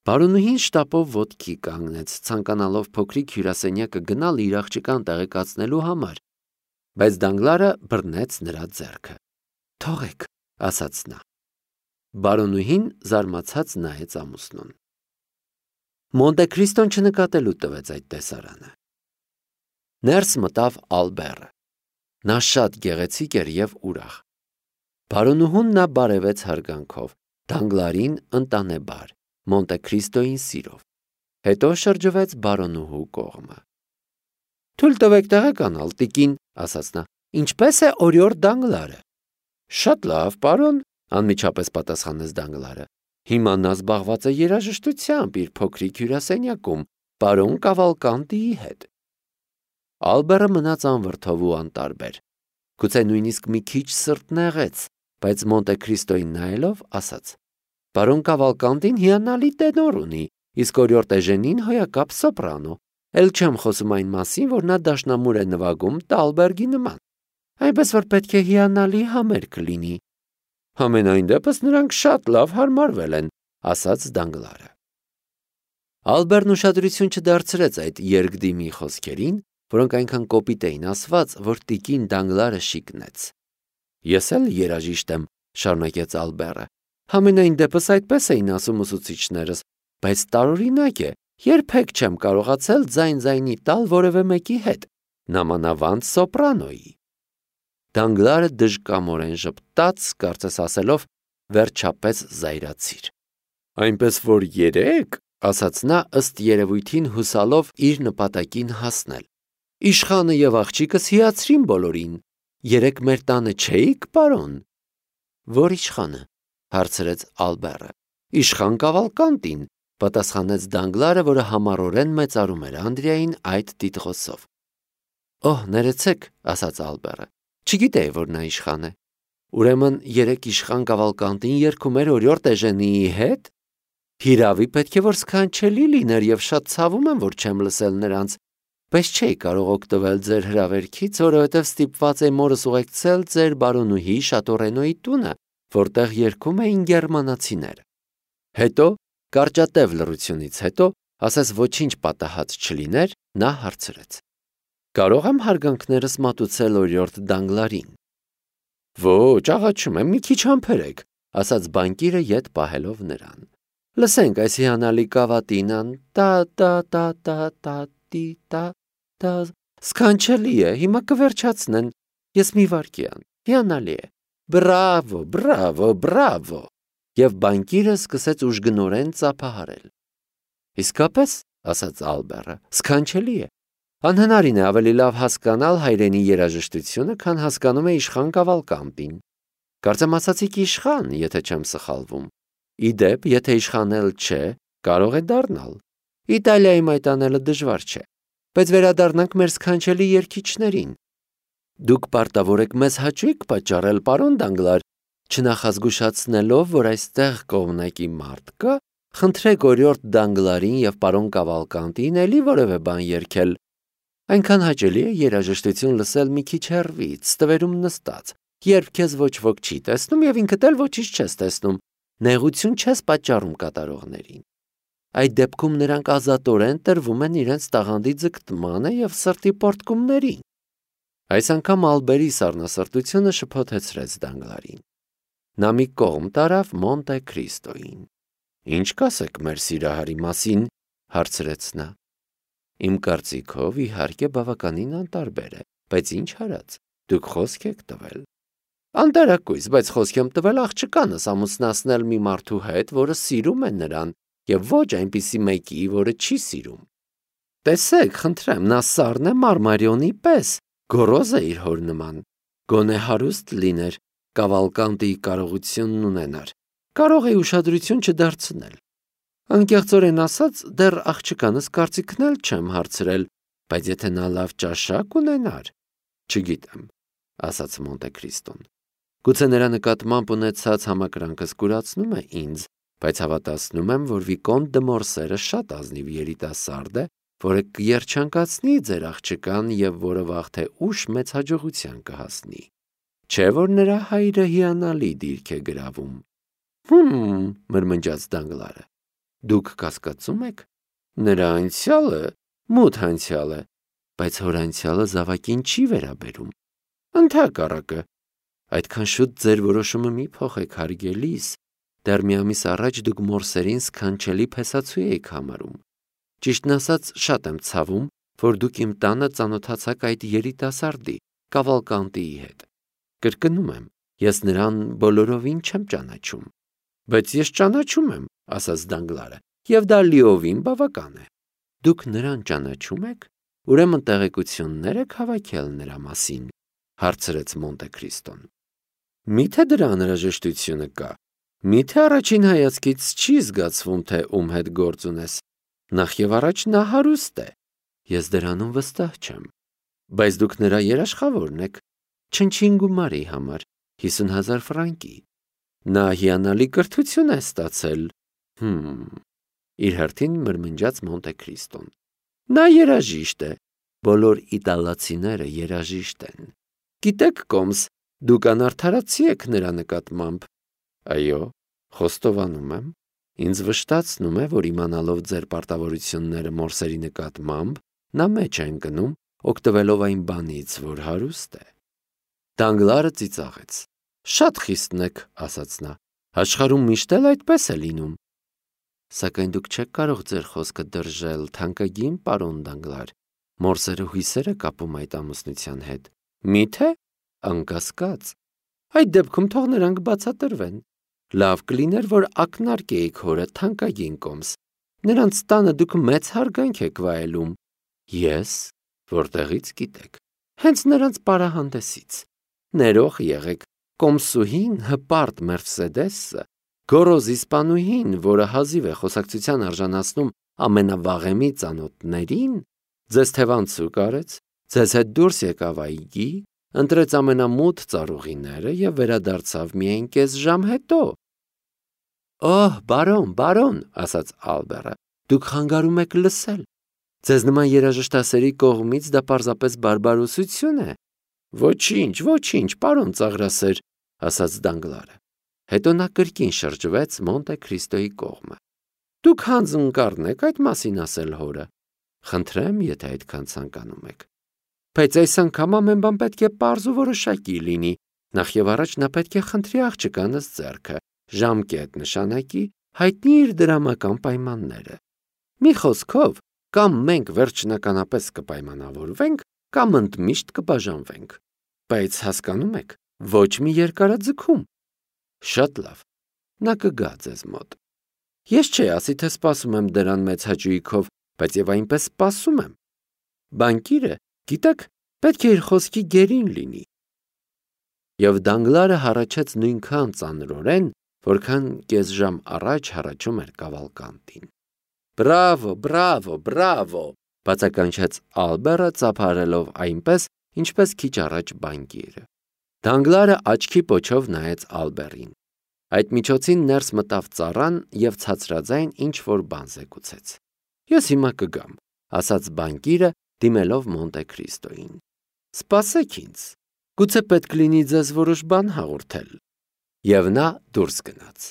Բարոնուհին շտապով ոտքի կանգնեց, ցանկանալով փոքրիկ հյուրասենյակը գնալ իր աղջկան տեղեկացնելու համար, բայց Դանգլարը բռնեց նրա ձեռքը։ «Թողեք», ասաց նա։ Բարոնուհին զարմացած նայեց ամուսնուն։ Մոնտե Քրիստոն չնկատելու տվեց այդ տեսարանը։ Ներս մտավ Ալբերը։ Նա շատ գեղեցիկ էր և ուրախ։ Բարոնուհուն նա բարևեց հարգանքով, Դանգլարին ընտանեբար, Մոնտե Քրիստոյին սիրով։ Հետո շրջվեց բարոնուհու կողմը։ «Թույլ տվեք տեղեկանալ, տիկին», ասաց նա, «ինչպես է օրիորդ Դանգլարը»։ «Շատ լավ, պարոն», անմիջապես պատասխանեց Դանգլարը։ «Հիմա նա զբաղված է երաժշտությամբ իր փոքրիկ հյուրասենյակում, պարոն Կավալկանտիի հետ»։ Ալբերը մնաց անվրդով ու անտարբեր։ Գուցե նույնիսկ մի քիչ սրտնեղեց, բայց Մոնտե Քրիստոյին նայելով ասաց. «Պարոն Կավալկանտին հիանալի տենոր ունի, իսկ օրիորդ Էժենին հոյակապ սոպրանո, էլ չեմ խոսում այն մասին, որ նա դաշնամուր է նվագում Տալբերգի նման, այնպես որ պետք է հիանալի համերգ լինի»։ «Համենայն դեպս նրանք շատ լավ հարմարվել են», ասաց Դանգլարը։ Ալբերն ուշադրություն չդարձրեց այդ երկդիմի խոսքերին, որոնք այնքան կոպիտ էին ասված, որ տիկին Դանգլարը շիկնեց։ «Ես էլ երաժիշտ եմ», շարունակեց Ալբերը։ «Համենայն դեպս այդպես էին ասում ուսուցիչներս, բայց տարօրինակ է, երբեք չեմ կարողացել ձայն-ձայնի տալ որևէ մեկի հետ, նամանավանդ սոպրանոյի»։ Դանգլարը դժկամորեն ժպտաց, կարծես ասելով. «Վերջապես զայրացիր»։ «Այնպես որ երեկ», ասաց նա, ըստ երևույթին հուսալով իր նպատակին հասնել, «իշխանը և աղջիկս հիացրին բոլորին։ Երեկ մեր տանը չէի՞ք, պարոն»։ «Ո՞ր իշխանը», հարցրեց Ալբերը։ «Իշխան Կավալկանտին», պատասխանեց Դանգլարը, որը համառորեն մեծարում էր Անդրեային այդ տիտղոսով։ «Օհ, ներեցեք», ասաց Ալբերը, «չգիտեի, որ նա իշխան է։ Ուրեմն երեկ իշխան Կավալկանտին երգում էր օրիորդ Էժենիի հետ։ Հիրավի պետք է որ սքանչելի լիներ և շատ ցավում եմ, որ չեմ լսել նրանց, բայց չէի կարող օգտվել ձեր հրավերքից, որովհետև ստիպված էի մորս ուղեկցել ձեր բարոնուհի Շատորենոյի տունը, որտեղ երգում էին գերմանացիները»։ Հետո, կարճատև լռությունից հետո, ասես ոչինչ պատահած չլիներ, նա հարցրեց. «Կարող եմ հարգանքներս մատուցել օրիորդ Դանգլարին»։ «Ոչ, աղաչում եմ, մի քիչ համբերեք», ասաց բանկիրը ետ պահելով նրան։ «Լսենք այս հիանալի կավատինան, տա, սքանչելի է, հիմա կվերջացնեն, ես մի վայրկյան, հիանալի է, բրավո, բրավո, բրավո»։ Եվ բանկիրը սկսեց ուժգնորեն ծափահարել։ «Իսկապես», ասաց Ալբերը, «սքանչելի է։ Անհնարին է ավելի լավ հասկանալ հայրենի երաժշտությունը, քան հասկանում է իշխան Կավալկանտին։ Կարծեմ ասացիք իշխան, եթե չեմ սխալվում։ Ի դեպ, եթե իշխան էլ չէ, կարող է դառնալ։ Իտալիայում այդ անելը դժվար չէ։ Բայց վերադառնանք մեր սքանչելի երգիչներին։ Դուք պարտավոր եք մեզ հաճույք պատճառել, պարոն Դանգլար, չնախազգուշացնելով, որ այստեղ կողմնակի մարդ կա, խնդրեք օրիորդ Դանգլարին և պարոն Կավալկանտին էլի որևէ բան երգել։ Այնքան հաճելի է երաժշտություն լսել մի քիչ հեռվից, ստվերում նստած, երբ քեզ ոչ ոք չի տեսնում և ինքդ էլ ոչինչ չես տեսնում, նեղություն չես պատճառում կատարողներին։ Այդ դեպքում նրանք ազատորեն տրվում են իրենց տաղանդի ձգտմանը և սրտի պոռթկումներին։ Այս անգամ Ալբերի սառնասրտությունը շփոթեցրեց Դանգլարին։ Նա մի կողմ տարավ Մոնտե Քրիստոյին։ «Ինչ կասեք մեր սիրահարի մասին», հարցրեց նա։ «Իմ կարծիքով, իհարկե, բավականին անտարբեր է, բայց ինչ արած, դուք խոսք եք տվել»։ «Անտարակույս, բայց խոսք եմ տվել աղջկանս ամուսնացնել մի մարդու հետ, որը սիրում է նրան, և ոչ այնպիսի մեկի, որը չի սիրում։ Տեսեք, խնդրեմ, նա սառն է Մարմարիոնի պես, գոռոզ է իր հոր նման, գոնե հարուստ լիներ, Կավալկանտիի կարողությունն ունենար, կարող է ուշադրություն չդարձնել։ Անկեղծորեն ասած, դեռ աղջկանս կարծիքն էլ չեմ հարցրել, բայց եթե նա լավ ճաշակ ունենար, չգիտեմ», ասաց Մոնտե Քրիստոն։ «Գուցե նրա նկատմամբ ունեցած համակրանքս կուրացնում է ինձ, բայց հավատացնում եմ, որ Վիկոնտ դը Մորսերը շատ ազնիվ երիտասարդ է, որը կերջանկացնի ձեր աղջկան և որը վաղ թե ուշ մեծ հաջողության կհասնի։ Չէ՞ որ նրա հայրը հիանալի դիրք է գրավում»։ Մրմնջաց Դանգլարը։ Դուք կասկածում եք։ Նրա անցյալը մութ անցյալ է, բայց հոր անցյալը զավակին չի վերաբերում։ Ընդհակառակը, այդքան շուտ ձեր որոշումը մի փոխեք, հարգելիս, դեռ մի ամիս առաջ դուք մորսերին սքանչելի փեսացու էիք համարում։ Ճիշտն ասած, շատ եմ ցավում, որ դուք իմ տանը ծանոթացաք այդ երիտասարդի, Կավալկանտիի հետ։ Կրկնում եմ, ես նրան բոլորովին չեմ ճանաչում։ Բայց ես ճանաչում եմ, ասաց Դանգլարը, եւ դա լիովին բավական է։ Դուք նրան ճանաչում եք, ուրեմն տեղեկություններ եք հավաքել նրա մասին, հարցրեց Մոնտե Քրիստոն։ Միթե դրա անհրաժեշտությունը կա։ Միթե առաջին հայացքից չի զգացվում, թե ում հետ գործ ունես։ Նախ եւ առաջ նա հարուստ է։ Ես դրանում վստահ չեմ։ Բայց դուք նրա երաշխավորն եք, չնչին գումարի համար, 50,000 ֆրանկի։ Նա հիանալի կրթություն է ստացել։ Իր հերթին մրմնջաց Մոնտե Քրիստոն։ Նա երաժիշտ է։ Բոլոր իտալացիները երաժիշտ են։ Գիտեք, Կոմս, դուք անարդարացի եք նրա նկատմամբ։ Այո, խոստովանում եմ։ Ինձ վշտացնում է, որ իմանալով ձեր պարտավորությունները մորսերի նկատմամբ, նա մեջ է ընկնում, օգտվելով այն բանից, որ հարուստ է։ Դանգլարը ծիծաղեց։ Շատ խիստն եք, ասաց նա։ Աշխարհում միշտ էլ այդպես է լինում։ Սակայն դուք չեք կարող ձեր խոսքը դրժել, թանկագին պարոն Դանգլար։ Մորսերը հույսեր է կապում այդ ամուսնության հետ։ Միթե՞։ Անկասկած։ Այդ դեպքում թող նրանք բացատրվեն։ Լավ կլիներ, որ ակնարկեիք հորը, թանկագին Կոմս։ Նրանց տանը դուք մեծ հարգանք եք վայելում։ Ես, որտեղից գիտեք։ Հենց նրանց պարահանդեսից։ Ներող եղեք, Կոմսուհին հպարտ Մերսեդեսը, գոռոզ իսպանուհին, որը հազիվ է խոսակցության արժանացնում ամենավաղեմի ծանոթներին, ձեզ թևանցուկ արեց, ձեզ հետ դուրս եկավ այգի, ընտրեց ամենամութ ծառուղիները եւ վերադարձավ միայն կես ժամ հետո։ Օհ, բարոն, ասաց Ալբերը, դուք խանգարում եք լսել։ Ձեզ նման երաժշտասերի կողմից դա պարզապես բարբարոսություն է։ Ոչինչ, պարոն ծաղրասեր, ասաց Դանգլարը։ Հետո նա կրկին շրջվեց Մոնտե Քրիստոյի կողմը։ Դուք հանձնկառն եք այդ մասին ասել հորը։ Խնդրեմ, եթե այդքան ցանկանում եք։ Բայց այս անգամ ամեն բան պետք է պարզ ու որոշակի լինի։ Նախ եւ առաջ նա պետք է խնդրի աղջկանս ձեռքը, ժամկետ նշանակի, հայտնի իր դրամական պայմանները։ Մի խոսքով, կամ մենք վերջնականապես կպայմանավորվենք, կամ ընդմիշտ կբաժանվենք։ Բայց հասկանում եք, ոչ մի երկարաձգում։ Շատ լավ, նա կգա ձեզ մոտ։ Ես չէ ասի, թե սպասում եմ դրան մեծ հաճույքով, բայց եւ այնպես սպասում եմ։ Բանկիրը, գիտեք, պետք է իր խոսքի գերին լինի։ Եվ Դանգլարը հառաչեց նույնքան ծանրորեն, որքան կես ժամ առաջ հառաչում էր Կավալկանտին։ Բրավո, բացականչեց Ալբերը ծափարելով այնպես, ինչպես քիչ առաջ բանկիրը։ Դանգլարը աչքի պոչով նայեց Ալբերին։ Այդ միջոցին ներս մտավ ծառան եւ ցածրաձայն ինչ-որ բան զեկուցեց։ Ես հիմա կգամ, ասաց բանկիրը, դիմելով Մոնտե Քրիստոյին։ Սպասեք ինձ, գուցե պետք լինի ձեզ որոշ բան հաղորդել։ Եվ նա դուրս գնաց։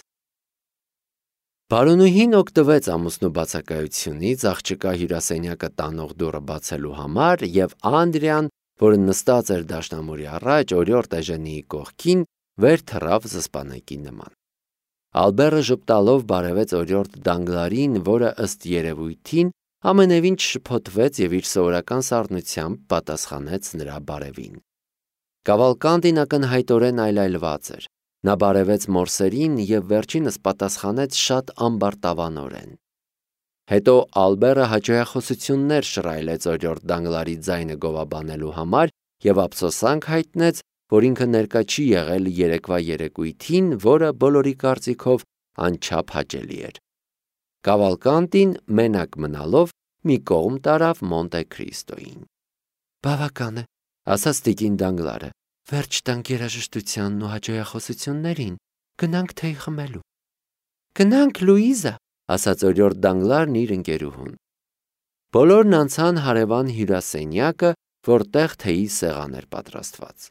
Բարոնուհին օգտվեց ամուսնու բացակայությունից աղջկա հյուրասենյակը տանող դուռը բացելու համար եւ Անդրեան, որը նստած էր դաշնամուրի առաջ օրիորդ Էժենիի կողքին, վեր թռավ զսպանակի նման։ Ալբերը ժպտալով բարևեց օրիորդ Դանգլարին, որը ըստ երևույթին ամենևին չշփոթվեց եւ իր սովորական սառնությամբ պատասխանեց նրա բարևին։ Կավալկանտին ակնհայտորեն այլայլված էր։ Նա բարևեց մորսերին եւ վերջինս պատասխանեց շատ ամբարտավանորեն։ Հետո Ալբերը հաճոյախոսություններ շռայլեց օրիորդ Դանգլարի ձայնը գովաբանելու համար եւ ափսոսանք հայտնեց, որ ինքը ներկա չի եղել երեկվա երեկույթին, որը բոլորի կարծիքով անչափ հաճելի էր։ Կավալկանտին մենակ մնալով մի կողմ տարավ Մոնտե Քրիստոյին։ Բավական է, ասաց տիկին Դանգլարը, վերջ տանք երաժշտությանն ու հաճոյախոսություններին, գնանք թեյ խմելու։ Գնանք, Լուիզա, ասաց օրիորդ Դանգլարն իր ընկերուհուն։ Բոլորն անցան հարևան հյուրասենյակը, որտեղ թեյի սեղան էր պատրաստված։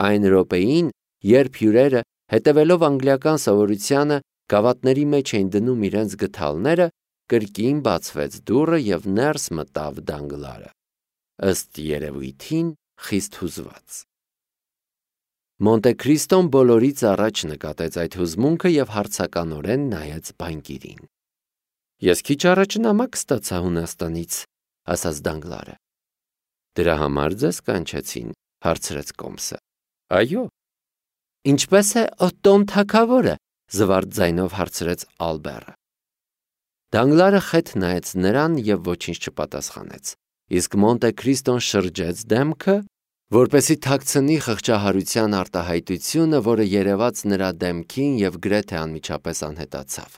Այն րոպեին, երբ հյուրերը, հետևելով անգլիական սովորությանը, Գավաթների մեջ էին դնում իրենց գդալները, կրկին բացվեց դուռը և ներս մտավ Դանգլարը, ըստ երևույթին խիստ հուզված։ Մոնտե Քրիստոն բոլորից առաջ նկատեց այդ հուզմունքը և հարցականորեն նայեց բանկիրին։ «Ես քիչ առաջ նամակ ստացա Հունաստանից», ասաց Դանգլարը։ «Դրա համար ձեզ կանչեցին», հարցրեց Կոմսը։ «Այո»։ «Ինչպե՞ս է Օտտոն թագավորը», զվարթ ձայնով հարցրեց Ալբերը։ Դանգլարը խեթ նայեց նրան և ոչինչ չպատասխանեց, իսկ Մոնտե Քրիստոն շրջեց դեմքը, որպեսզի թաքցնի խղճահարության արտահայտությունը, որը երևաց նրա դեմքին և գրեթե անմիջապես անհետացավ։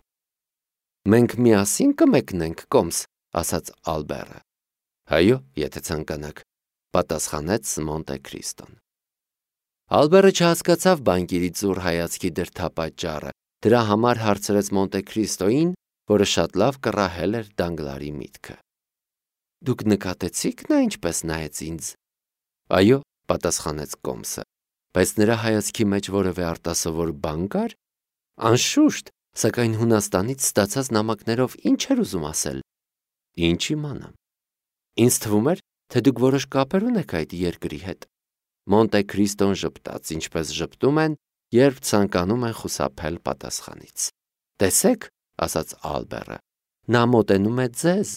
«Մենք միասին կմեկնենք, Կոմս», ասաց Ալբերը։ «Այո, եթե ցանկանաք», պատասխանեց Մոնտե Քրիստոն։ Ալբերը չհասկացավ բանկիրի ծուռ հայացքի դրդապատճառը, դրա համար հարցրեց Մոնտե Քրիստոին, որը շատ լավ կռահել էր Դանգլարի միտքը։ «Դուք նկատեցի՞ք նա ինչպես նայեց ինձ»։ «Այո», պատասխանեց Կոմսը, բայց նրա հայացքի մեջ որևէ արտասովոր բան կար։ «Անշուշտ, սակայն Հունաստանից ստացած նամակներով ինչ էր ուզում ասել»։ «Ինչ իմանամ»։ «Ինձ թվում էր, թե դուք որոշ կապեր ունեք այդ երկրի հետ»։ Մոնտե Քրիստոն ժպտաց, ինչպես ժպտում են, երբ ցանկանում են խուսափել պատասխանից։ «Տեսեք», ասաց Ալբերը, «նա մոտենում է ձեզ։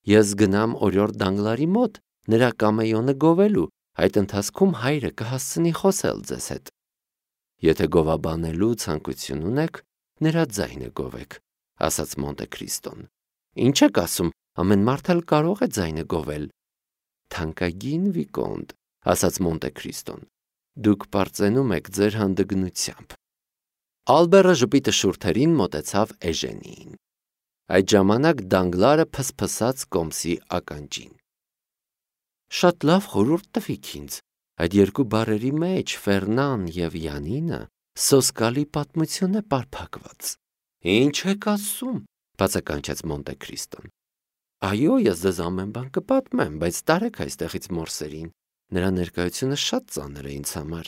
Ես գնամ օրիորդ Դանգլարի մոտ, նրա կամեյոնը գովելու, այդ ընթացքում հայրը կհասցնի խոսել ձեզ հետ։ Եթե գովաբանելու ցանկություն ունեք, նրա ձայնը գովեք», ասաց Մոնտե Քրիստոն։ «Ինչ եք ասում, ամեն մարդ էլ կարող է ձայնը գովել»։ «Թանկագին Վիկոնտ», ասաց Մոնտե Քրիստոն, «դուք պարծենում եք ձեր հանդգնությամբ»։ Ալբերը ժպիտը շուրթերին մոտեցավ Էժենիին։ Այդ ժամանակ Դանգլարը փսփսաց Կոմսի ականջին։ «Շատ լավ խորհուրդ տվիք ինձ։ Այդ երկու բառերի մեջ, Ֆերնան և Յանինը, սոսկալի պատմություն է պարփակված»։ «Ինչ եք ասում», բացականչեց Մոնտե Քրիստոն։ «Այո, ես ձեզ ամեն բան կպատմեմ, բայց տարեք այստեղից մորսերին, նրա ներկայությունը շատ ծանր է ինձ համար»։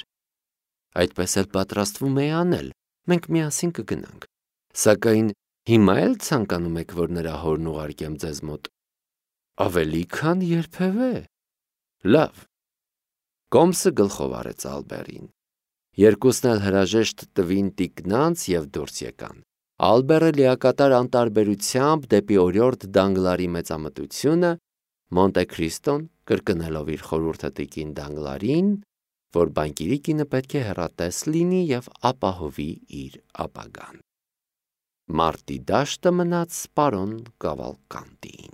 «Այդպես էլ պատրաստվում էի անել, մենք միասին կգնանք։ Սակայն հիմա էլ ցանկանում եք, որ նրա հորն ուղարկեմ ձեզ մոտ»։ «Ավելի քան երբևէ»։ «Լավ»։ Կոմսը գլխով արեց Ալբերին։ Երկուսն էլ հրաժեշտ տվին տիկնանց և դուրս եկան։ Ալբերը լիակատար անտարբերությամբ դեպի օրիորդ Դանգլարի մեծամտությունը, Մոնտե Քրիստոն կրկնելով իր խորհուրդը տիկին Դանգլարին, որ բանկիրի կինը պետք է հեռատես լինի և ապահովի իր ապագան։ Մարտի դաշտը մնաց պարոն Կավալկանտիին։